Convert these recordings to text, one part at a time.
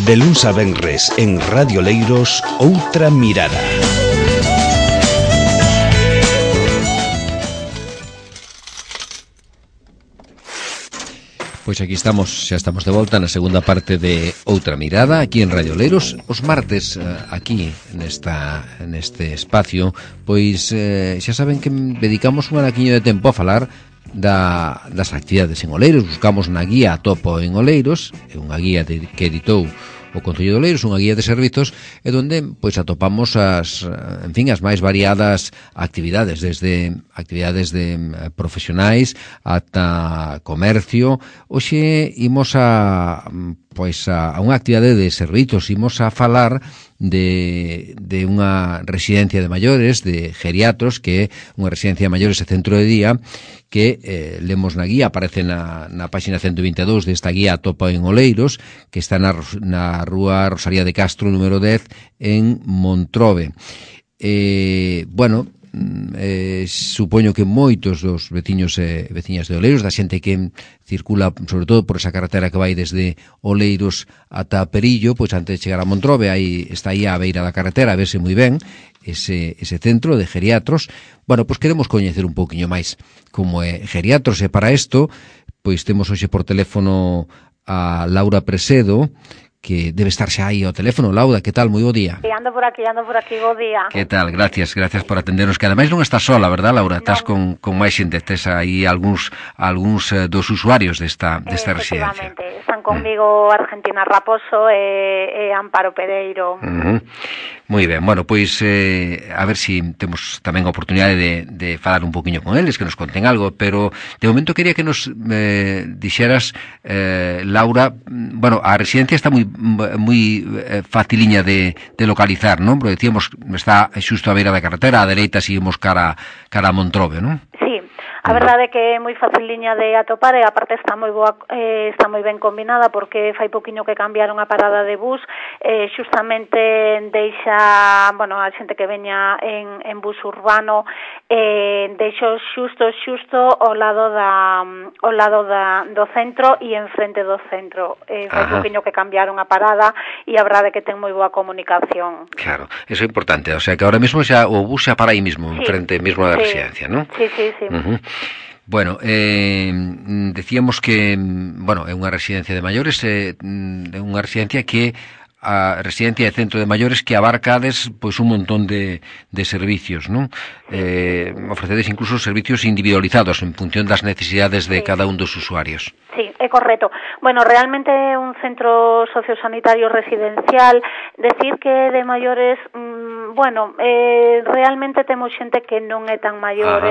De luns a venres en Radio Leiros, Outra Mirada. Pois aquí estamos, xa estamos de volta na segunda parte de Outra Mirada, aquí en Radio Leiros. Os martes, aquí neste espacio, pois xa saben que dedicamos un anaquiño de tempo a falar das actividades en Oleiros. Buscamos na guía Topo en Oleiros, é unha guía que editou o Concello de Oleiros, unha guía de servizos, e donde pois atopamos as máis variadas actividades, desde actividades de profesionais ata comercio. Hoxe imos a unha actividade de servizos, imos a falar de unha residencia de maiores, de geriatros, que é unha residencia de maiores e centro de día, que lemos na guía, aparece na página 122 desta guía Topo en Oleiros, que está na rúa Rosalía de Castro, número 10, en Montrobe. Supoño que moitos dos veciños e veciñas de Oleiros, da xente que circula sobre todo por esa carretera que vai desde Oleiros ata Perillo, pois antes de chegar a Montrobe, está aí á beira da carretera, a verse moi ben ese centro de geriatros. Bueno, pois queremos coñecer un pouquiño máis como é geriatros, e para isto pois temos hoxe por teléfono a Laura Presedo, que debe estar xa aí ao teléfono. Laura, que tal? Moi bo día. Ando por aquí, bo día. Que tal? Gracias por atendernos, que ademais non estás sola, verdad, Laura? Estás con máis xente, tes aí algúns dos usuarios desta residencia. Efectivamente, están conmigo Argentina Raposo e Amparo Pereiro. Moi ben, bueno, pois a ver se temos tamén a oportunidade de falar un poquinho con eles, que nos conten algo, pero de momento quería que nos dixeras, Laura, bueno, a residencia está moi faciliña de localizar, non? Porque decíamos, está xusto á beira da carretera, á dereita seguimos cara a Montrobe, non? Sí. A verdade é que é moi faciliña de atopar, e aparte está moi boa, está moi ben combinada, porque fai poquinho que cambiaron a parada de bus, xustamente deixa, bueno, a xente que veña en bus urbano, deixo xusto ao lado do centro e enfrente do centro. Fai poquinho que cambiaron a parada, e a verdade é que ten moi boa comunicación. Claro, eso é importante, o sea que ahora mesmo xa o bus xa para aí mesmo, enfrente mesmo da residencia, non? Sí. Bueno, decíamos que, bueno, é unha residencia de maiores, é unha residencia que a residencia de centro de maiores que abarcades pois un montón de servicios, non? Ofrecedes incluso servicios individualizados en función das necesidades de cada un dos usuarios. Sí, é correcto. Bueno, realmente é un centro sociosanitario residencial. Decir que de maiores, realmente temos xente que non é tan maior,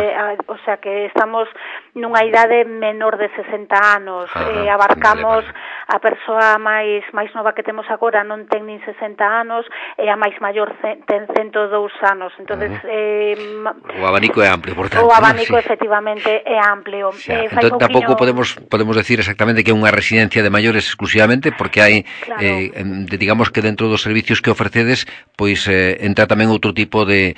o sea que estamos nunha idade menor de 60 anos. Abarcamos a persoa máis nova que temos agora non ten nin 60 anos, e a máis maior ten 102 anos. Entonces, o abanico é amplio, por tanto. O abanico, efectivamente, é amplio. Entón, tampouco podemos decir exactamente que é unha residencia de maiores exclusivamente, porque hai, digamos que dentro dos servicios que ofrecedes, pois entra tamén outro tipo de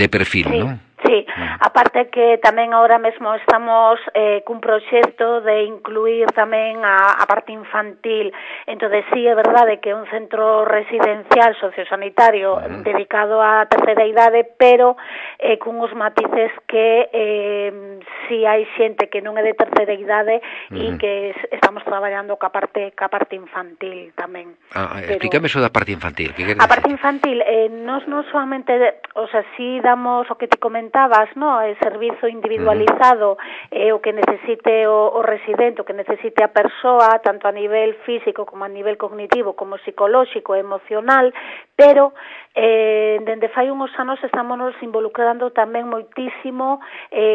perfil, non? Sí, aparte que tamén agora mesmo estamos cun proxecto de incluir tamén a parte infantil. Entonces, sí, é verdade que é un centro residencial sociosanitario dedicado á terceira idade, pero cun os matices que si hai xente que non é de terceira idade e que estamos traballando ca parte infantil tamén. Explícame eso da parte infantil. A parte infantil, nos non solamente, o sea, si damos o que te comentabas, no, el servizo individualizado, o que necesite o residente, o que necesite a persoa, tanto a nivel físico como a nivel cognitivo, como psicolóxico e emocional, pero dende fai uns anos estamos involucrando tamén moitísimo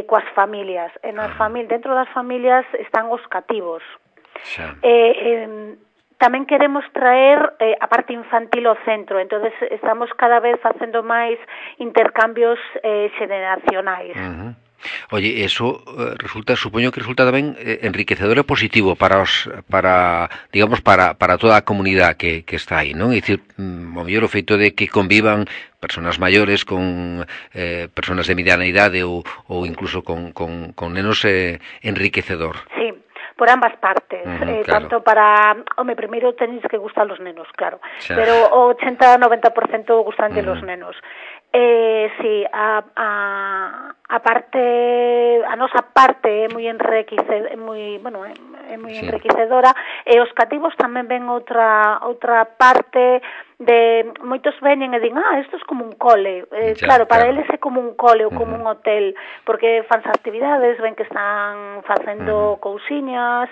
coas familias. Dentro das familias están os cativos. Tamén queremos traer a parte infantil ao centro, entonces estamos cada vez facendo máis intercambios xeneracionais. Oye, eso supoño que resulta tamén enriquecedor e positivo para toda a comunidade que está aí, non? É dicir, o mellor o feito de que convivan persoas maiores con persoas de mediana idade ou incluso con nenos enriquecedor. Sí. por ambas partes, claro. tanto para, primeiro tenéis que gustar los nenos, claro, xa. pero o 80-90% gustan de los nenos. Sí, a nosa parte é moi enriquecedora, enriquecedora, e os cativos tamén ven outra parte de moitos veñen e din, isto é como un cole, claro, para eles é como un cole ou como un hotel, porque fanse actividades, ven que están facendo cousiñas,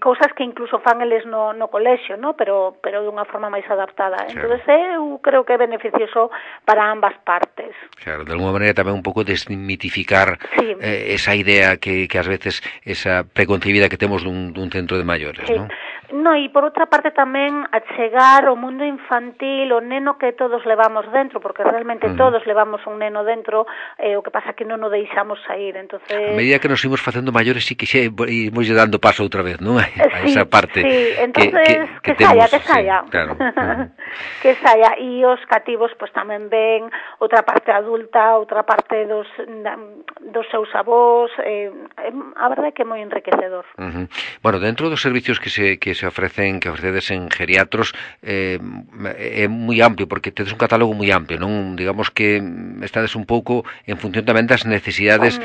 cousas que incluso fan eles no colexio, no? pero dunha forma máis adaptada. Entonces eu creo que é beneficioso para ambas partes. Claro, de alguma maneira tamén un pouco desmitificar esa idea que ás veces, esa preconcebida que temos dun centro de maiores, non? No, e por outra parte tamén achegar o mundo infantil, o neno que todos levamos dentro, porque realmente todos levamos un neno dentro, o que pasa que non o deixamos sair, entonces... A medida que nos imos facendo maiores, sí que xa imos dando paso outra vez, non? A esa parte entonces, que temos, saia. Sí, claro. Que saia, e os cativos pois tamén ven outra parte adulta, outra parte dos seus avós, a verdade é que é moi enriquecedor. Bueno, dentro dos servicios que se ofrecen, que ofrecedes en geriatros, é moi amplio, porque tedes un catálogo moi amplio, non? Digamos que estades un pouco en función tamén das necesidades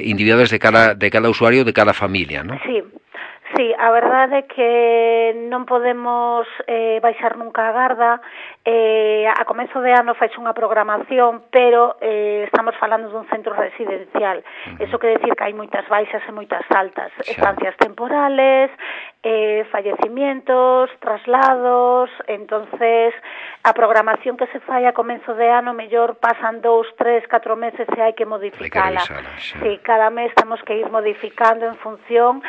individuales de cada usuario, de cada familia, non? Sí, a verdade é que non podemos baixar nunca a garda. A comezo de ano faixe unha programación, pero estamos falando dun centro residencial. Eso quere decir que hai moitas baixas e moitas altas, estancias temporales, fallecimientos, traslados. Entonces a programación que se fai a comezo de ano mellor pasan 2, 3, 4 meses e hai que modificala. Sí, cada mes temos que ir modificando en función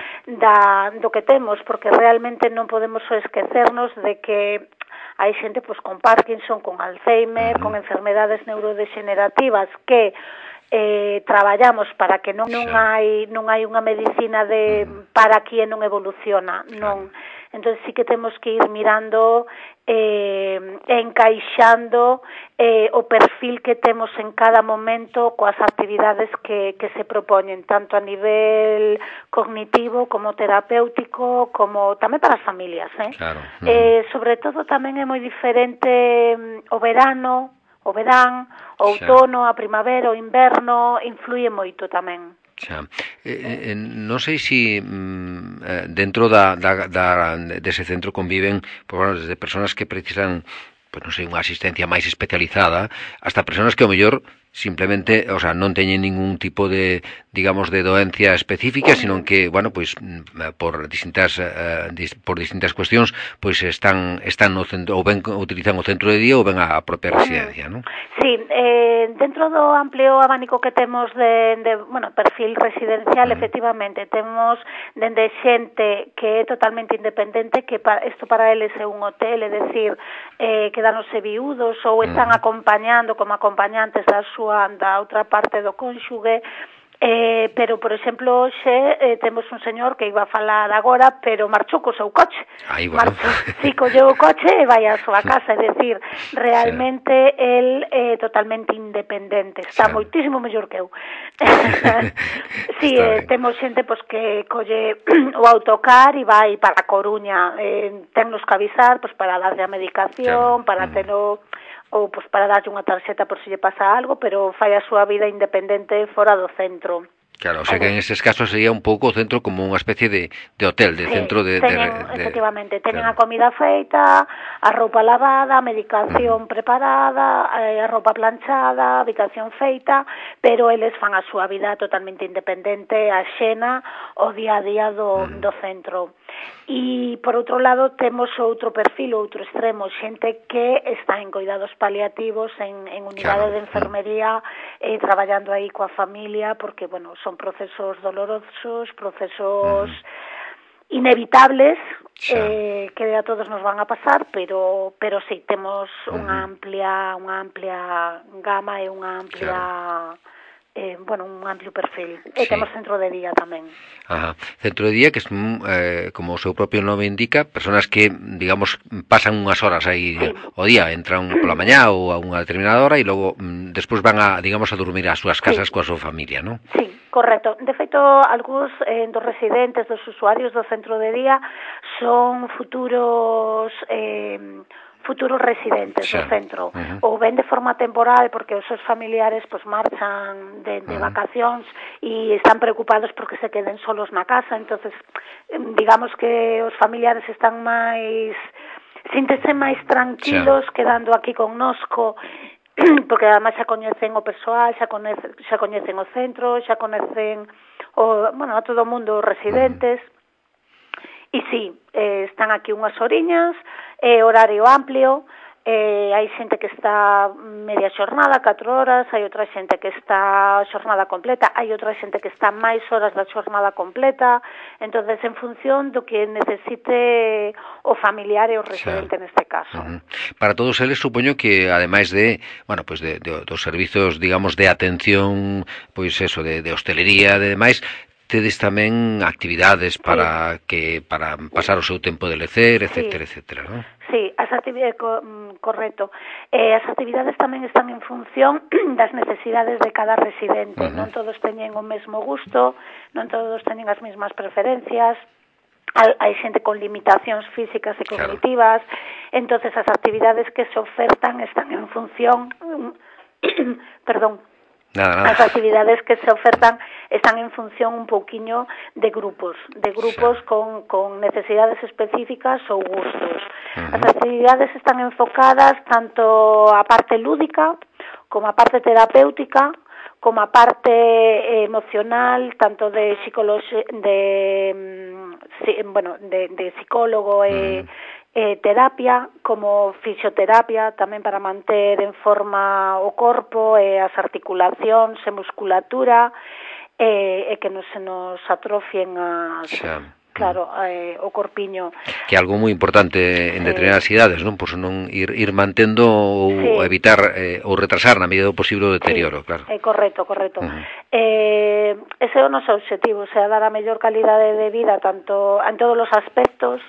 do que temos, porque realmente non podemos esquecernos de que hai xente con Parkinson, con Alzheimer, con enfermedades neurodegenerativas que traballamos para que non hai unha medicina para que non evoluciona, non. Entón sí que temos que ir mirando encaixando o perfil que temos en cada momento coas actividades que se propoñen, tanto a nivel cognitivo como terapéutico, como tamén para as familias, Claro. Sobre todo tamén é moi diferente o verán, o outono, a primavera, o inverno, influye moito tamén. Xa. Non sei se dentro dese centro conviven desde persoas que precisan, non sei, unha asistencia máis especializada, hasta persoas que ao mellor simplemente, non teñen ningún tipo de, digamos, de doencia específica, sino que, por distintas cuestións, pois están no centro, ou ben utilizan o centro de día ou ben a propia residencia, non? Sí, dentro do amplio abanico que temos de perfil residencial, efectivamente, temos dende xente que é totalmente independente, que isto para eles é un hotel, é dicir, quedáronse viúdos ou están acompañando como acompañantes da outra parte do cónxuge, pero, por exemplo, hoxe temos un señor que iba a falar agora, pero marchou co seu coche. Si, colleu o coche e vai á súa casa, é dicir, realmente el é totalmente independente, está moitísimo mellor que eu. Si, temos xente que colle o autocar e vai para a Coruña, tennos que avisar para darlle a medicación, para telo, ou para darlle unha tarxeta por se lle pasa algo, pero fai a súa vida independente fora do centro. Claro, o sea que en estes casos sería un pouco o centro como unha especie de hotel, de centro de... Efectivamente, teñen a comida feita, a roupa lavada, a medicación preparada, a roupa planchada, a habitación feita, pero eles fan a súa vida totalmente independente, axena, o día a día do centro. E, por outro lado, temos outro perfil, outro extremo, xente que está en cuidados paliativos, en unidade de enfermería, traballando aí coa familia, porque, son procesos dolorosos, procesos inevitables, que a todos nos van a pasar, pero sí, temos unha amplia gama e unha amplia bueno, un amplio perfil. E temos centro de día tamén. Ajá. Centro de día que son, como o seu propio nome indica, personas que, digamos, pasan unhas horas aí o día, entran pola mañá ou a unha determinada hora e logo despois van a, digamos, a dormir ás súas casas coa súa familia, non? Sí, correcto. De feito, algúns dos residentes, dos usuarios do centro de día son futuros residentes do centro, ou ven de forma temporal porque os seus familiares pues marchan de vacacións e están preocupados porque se queden solos na casa, entonces digamos que os familiares están máis síntese máis tranquilos quedando aquí connosco, porque además xa coñecen o persoal, xa coñecen o centro, xa coñecen a todo o mundo os residentes. E sí, están aquí unhas horiñas, horario amplio, hai xente que está media xornada, 4 horas, hai outra xente que está xornada completa, hai outra xente que está máis horas da xornada completa, entonces en función do que necesite o familiar e o residente neste caso. Para todos eles supoño que ademais de, bueno, pues de dos servizos, digamos, de atención, pois eso, de hostelería, de demais, tedes tamén actividades para pasar o seu tempo de lecer, etcétera, etcétera, non? Sí, as actividades, correcto. As actividades tamén están en función das necesidades de cada residente. Non todos teñen o mesmo gusto, non todos teñen as mesmas preferencias. Hai xente con limitacións físicas e cognitivas, entonces as actividades que se ofertan están en función As actividades que se ofertan están en función un pouquiño de grupos con necesidades específicas ou gustos. As actividades están enfocadas tanto a parte lúdica como a parte terapéutica, como a parte emocional, tanto de psicólogo e terapia, como fisioterapia, tamén para manter en forma o corpo e as articulacións e musculatura e que non se nos atrofien o corpiño. Que é algo moi importante en determinadas idades, non? Pois non ir mantendo ou evitar ou retrasar na medida do posible o deterioro, claro. Correcto. Ese é o noso obxectivo, o sea, dar a mellor calidade de vida tanto en todos os aspectos,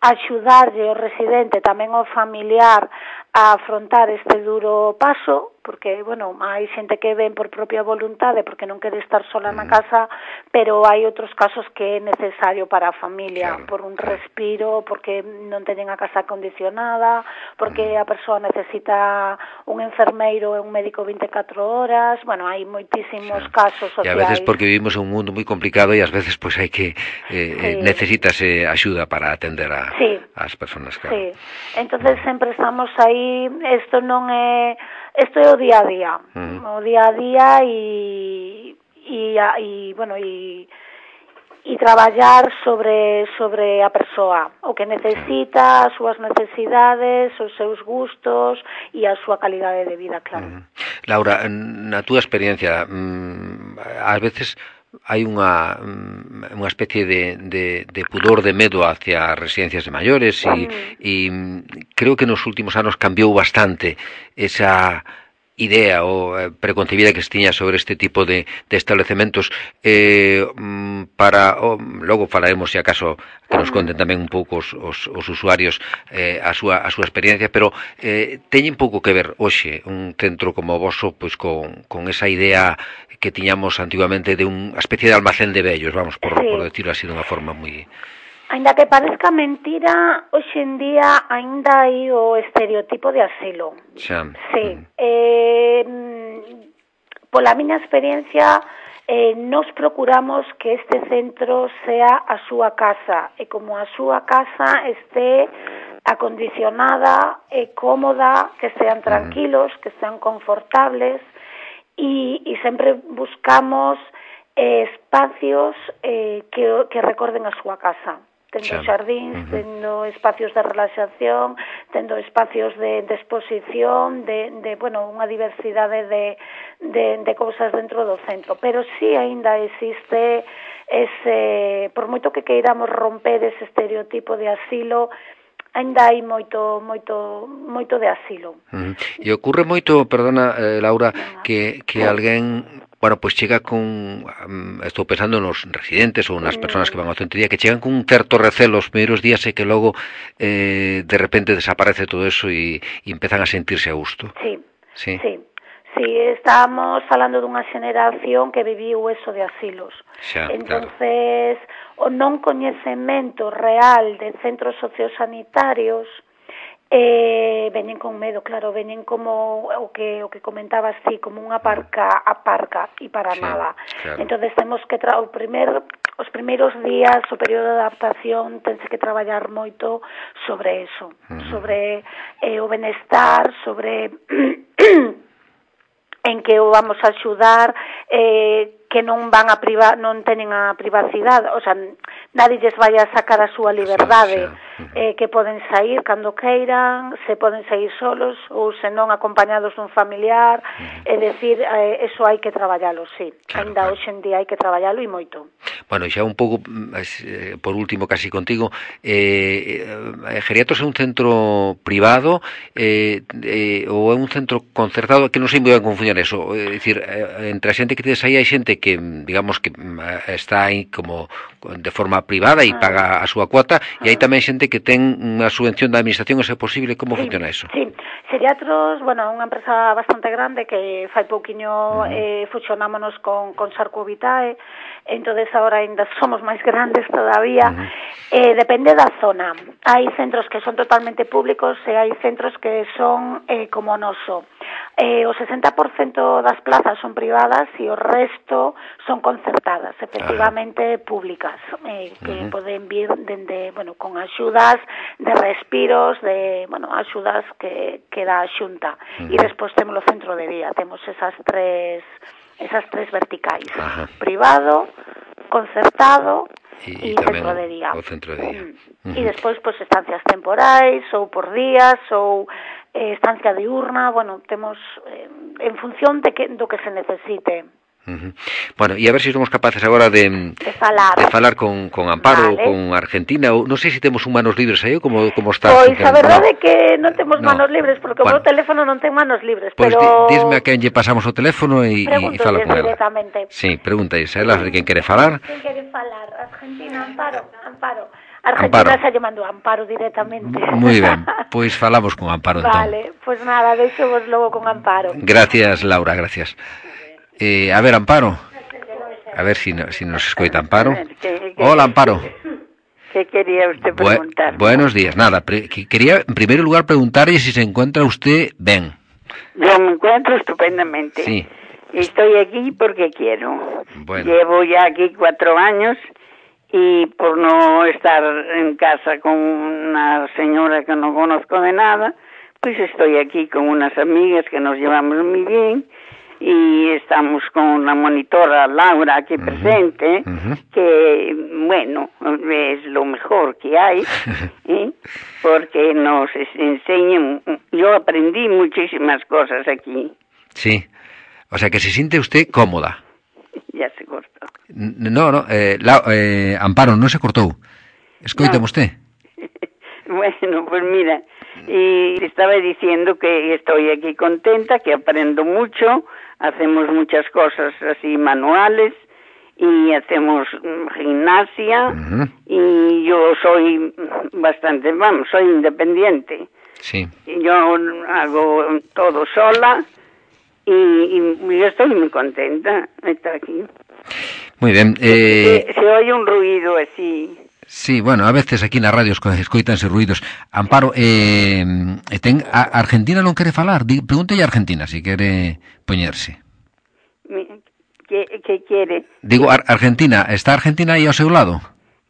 axudarlle ao residente, tamén ao familiar, a afrontar este duro paso, porque, hai xente que ven por propia voluntade porque non quere estar sola na casa, pero hai outros casos que é necesario para a familia, por un respiro, porque non teñen a casa acondicionada, porque a persoa necesita un enfermeiro e un médico 24 horas, hai moitísimos casos sociais. E a veces porque vivimos en un mundo moi complicado e ás veces pois hai que necesitas axuda para atender as persoas, claro. Sí, entonces sempre estamos aí, isto é o día a día, o día a día e traballar sobre a persoa, o que necesita, as súas necesidades, os seus gustos e a súa calidade de vida, claro. Laura, na túa experiencia, ás veces hai unha especie de pudor, de medo hacia as residencias de maiores e creo que nos últimos anos cambiou bastante esa idea ou preconcebida que se tiña sobre este tipo de establecementos logo falaremos, se acaso, que nos conten tamén un pouco os usuarios a súa experiencia, pero teñen pouco que ver hoxe un centro como o voso pois con esa idea que tiñamos antigamente de unha especie de almacén de vellos, vamos, por decirlo así de unha forma moi... Ainda que parezca mentira, hoxe en día ainda hai o estereotipo de asilo. Sí. Pola miña experiencia, nos procuramos que este centro sea a súa casa e como a súa casa este acondicionada e cómoda, que sean tranquilos, que sean confortables e sempre buscamos espacios que recorden a súa casa. Tendo xardíns, tendo espacios de relaxación, tendo espacios de exposición, unha diversidade de cousas dentro do centro. Pero sí aínda existe ese, por moito que queiramos romper ese estereotipo de asilo, ainda hai moito de asilo. E ocorre moito, perdona, Laura, que alguén, bueno, pois chega con, estou pensando nos residentes ou nas persoas que van ao centro de día, que chegan con un certo recelo os primeiros días e que logo de repente desaparece todo eso e empezan a sentirse a gusto. Sí, estamos falando dunha xeneración que viviu eso de asilos. Entonces, o non coñecemento real de centros sociosanitarios veñen con medo, claro, veñen como o que comentabas ti, como unha aparca e para nada. Claro. Entonces temos que os primeiros días, o período de adaptación, tense que traballar moito sobre eso, sobre o benestar, sobre en que o vamos a axudar, que non van a non teñen a privacidade, o sea, nadie lles vai a sacar a súa liberdade, que poden sair cando queiran, se poden sair solos ou senón acompañados dun familiar, é dicir, eso hai que traballalo, sí. Ainda hoxe en día hai que traballalo e moito. Bueno, xa un pouco, por último, casi contigo, Geriatros é un centro privado ou é un centro concertado, que non sei moi ben como funciona eso, é dicir, entre a xente que tedes aí hai xente que, digamos, que está aí como de forma privada e paga a súa cuota, e hai tamén xente que ten unha subvención da administración, se é posible, como funciona eso? Sí, Geriatros, bueno, é unha empresa bastante grande que fai pouquiño fusionámonos con Sarco Vitae, entonces ahora ainda somos máis grandes todavía. Depende da zona. Hai centros que son totalmente públicos e hai centros que son como o noso. O 60% das plazas son privadas e o resto son concertadas, efectivamente públicas, que poden vir dende, bueno, con axudas de respiros, de, bueno, axudas que dá a Xunta. E despois temos o centro de día, temos esas tres verticais, privado, concertado e centro de día. O centro de día. E despois, pois, estancias temporais, ou por días, ou estancia diurna, bueno, temos en función do que se necesite. Bueno, e a ver se somos capaces agora de falar con Amparo, con Argentina, ou non sei se temos un manos libres aí, ou como está. Pois a verdade é que non temos manos libres, porque o meu teléfono non ten manos libres, pero dísme a quen lle pasamos o teléfono e fala con ela. Directamente. Sí, pregúntales a ela quen quere falar. Quen quere falar? Argentina, Amparo. Argentina xa lle mandou Amparo directamente. Moi ben, pois falamos con Amparo entón. Vale, pois nada, deixo vos logo con Amparo. Gracias, Laura, gracias. A ver, Amparo. A ver si nos escoita Amparo. Hola, Amparo. ¿Qué quería usted preguntar? Buenos días. Nada, quería en primer lugar preguntarle si se encuentra usted bien. Yo me encuentro estupendamente. Sí. Estoy aquí porque quiero. Bueno. Llevo ya aquí 4 años y por no estar en casa con una señora que no conozco de nada, pues estoy aquí con unas amigas que nos llevamos muy bien. Y estamos con la monitora Laura aquí presente, que, bueno, es lo mejor que hay, porque nos enseñan. Yo aprendí muchísimas cosas aquí. Sí, o sea que se siente usted cómoda. Ya se cortó. No, Amparo, non se cortou. Escoítame usted. Bueno, pues mira, y estaba diciendo que estoy aquí contenta, que aprendo mucho. Hacemos muchas cosas así manuales y hacemos gimnasia y yo soy bastante, soy independiente. Sí. Yo hago todo sola y yo estoy muy contenta de estar aquí. Muy bien. Se oye un ruido así. Sí, bueno, a veces aquí na radio escoítanse ruidos. Amparo, Argentina non quere falar? Pregúntelle a Argentina se quere poñerse. ¿Qué quiere? Digo, Argentina, ¿está Argentina aí ao seu lado?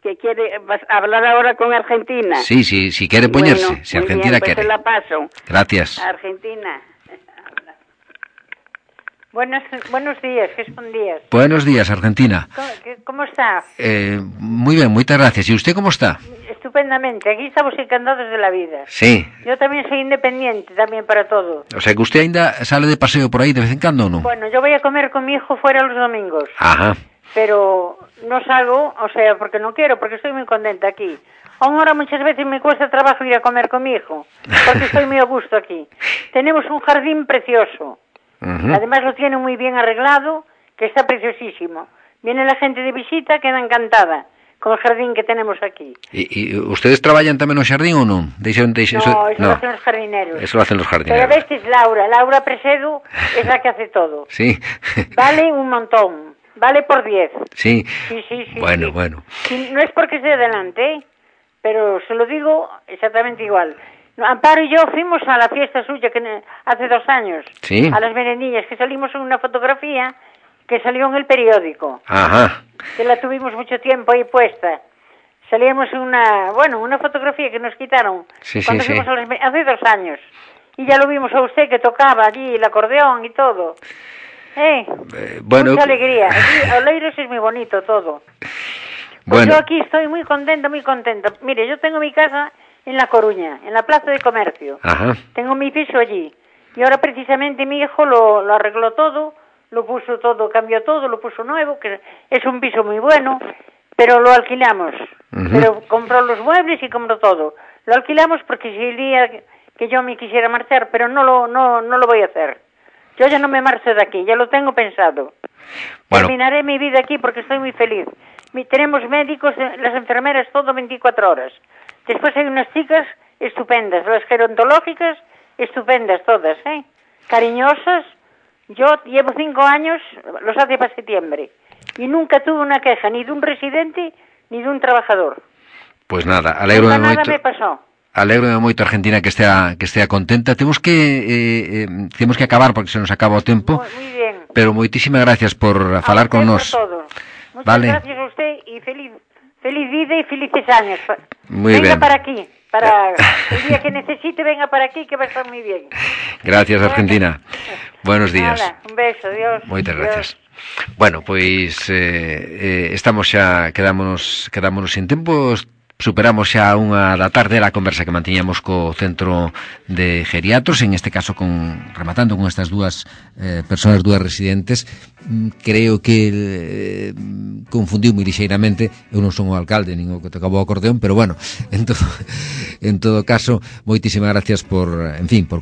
¿Qué quiere? ¿Vas a hablar ahora con Argentina? Sí, si quere poñerse, si Argentina bien, pues quere. se la paso. Gracias. Argentina. Buenos días, que son días. Buenos días, Argentina. ¿Cómo está? Muy bien, muchas gracias. ¿Y usted cómo está? Estupendamente, aquí estamos encantados de la vida. Sí. Yo también soy independiente, también para todo. O sea, que usted ainda sale de paseo por ahí de vez en cuando, ¿o no? Bueno, yo voy a comer con mi hijo fuera los domingos. Ajá. pero no salgo, o sea, porque no quiero, porque estoy muy contenta aquí. Ahora muchas veces me cuesta trabajo ir a comer con mi hijo, porque estoy muy a gusto aquí. Tenemos un jardín precioso. Además lo tiene muy bien arreglado, que está preciosísimo. Viene la gente de visita, queda encantada con el jardín que tenemos aquí. ¿Y ustedes traballan tamén no xardín ou non? No, eso lo hacen los jardineros. Eso lo hacen los jardineros. Pero ves, es Laura Presedo es la que hace todo. Sí. Vale un montón, vale por 10. Sí. Sí. Bueno. Sí, no es porque esté delante, pero se lo digo exactamente igual. Amparo y yo fuimos a la fiesta suya que hace 2 años, sí, a las merendillas, que salimos en una fotografía que salió en el periódico. Ajá. Que la tuvimos mucho tiempo ahí puesta. Salíamos en una fotografía que nos quitaron cuando fuimos hace 2 años. Y ya lo vimos a usted que tocaba allí el acordeón y todo. Mucha alegría. Aquí, Oleiros es muy bonito todo. Pues yo aquí estoy muy contenta. Mire, yo tengo mi casa en La Coruña, en la Plaza de Comercio. Ajá. Tengo mi piso allí. Y ahora precisamente mi hijo lo arregló todo, lo puso todo, cambió todo, lo puso nuevo, que es un piso muy bueno, pero lo alquilamos. Pero compró los muebles y compró todo. Lo alquilamos porque si el día que yo me quisiera marchar, pero no lo voy a hacer. Yo ya no me marcho de aquí, ya lo tengo pensado. Bueno. Terminaré mi vida aquí porque estoy muy feliz. Tenemos médicos, las enfermeras, todo 24 horas. Después hay unas chicas estupendas, las gerontológicas, estupendas todas, cariñosas. Yo llevo 5 años, los hace para septiembre, y nunca tuve una queja ni de un residente ni de un trabajador. Pues nada, alégrome moito. Nada me pasó. Alégrome moito, Argentina, que estea contenta. Temos que acabar porque se nos acaba o tempo. Muy bien. Pero moitísimas gracias por falar con nós. Muchas gracias a usted y feliz vida y felices años. Venga para aquí, para el día que necesite, venga para aquí, que va a estar muy bien. Gracias, Argentina. Buenos días. Nada, un beso, Dios. Moitas gracias. Bueno, pois estamos xa, quedámonos sin tempo. Superamos xa unha da tarde a conversa que mantiñamos co Centro de Geriatros, en este caso rematando con estas dúas persoas, dúas residentes. Creo que confundiu moi lixeiramente. Eu non son o alcalde nin o que tocaba o acordeón, pero bueno, en todo caso, moitísimas gracias por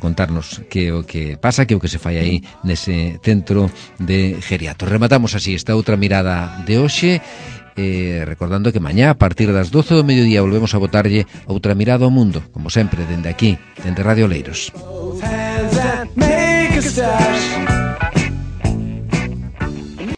contarnos que o que pasa, que o que se fai aí nese Centro de Geriatros. Rematamos así esta outra mirada de hoxe. Recordando que mañá a partir das 12 do mediodía volvemos a botarlle outra mirada ao mundo, como sempre, dende aquí, dende Radio Oleiros.